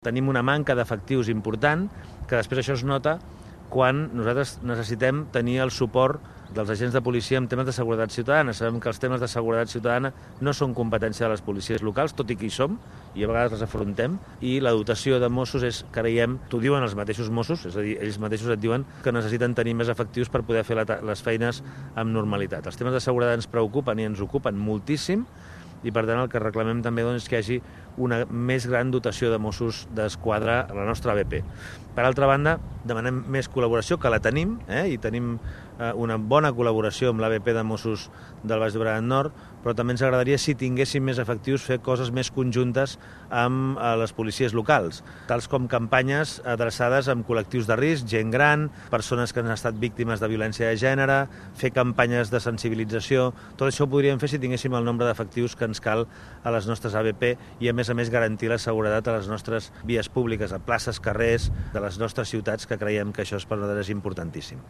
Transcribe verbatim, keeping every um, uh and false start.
Tenim una manca d'efectius important, que després això es nota quan nosaltres necessitem tenir el suport dels agents de policia en temes de seguretat ciutadana. Sabem que els temes de seguretat ciutadana no són competència de les policies locals, tot i que hi som, i a vegades les afrontem, i la dotació de Mossos és, creiem, t'ho diuen els mateixos Mossos, és a dir, ells mateixos et diuen que necessiten tenir més efectius per poder fer la, les feines amb normalitat. Els temes de seguretat ens preocupen i ens ocupen moltíssim, i per tant el que reclamem també doncs, és que hi hagi una més gran dotació de Mossos d'Esquadra a la nostra A B P. Per altra banda, demanem més col·laboració, que la tenim, eh? i tenim eh, una bona col·laboració amb l'A B P de Mossos del Baix Llobregat Nord, però també ens agradaria, si tinguéssim més efectius, fer coses més conjuntes amb eh, les policies locals, tals com campanyes adreçades amb col·lectius de risc, gent gran, persones que han estat víctimes de violència de gènere, fer campanyes de sensibilització. Tot això ho podríem fer si tinguéssim el nombre d'efectius que ens cal a les nostres A B P i, a més a més, garantir la seguretat a les nostres vies públiques, a places, carrers de les nostres ciutats, que creiem que això és per nosaltres importantíssim.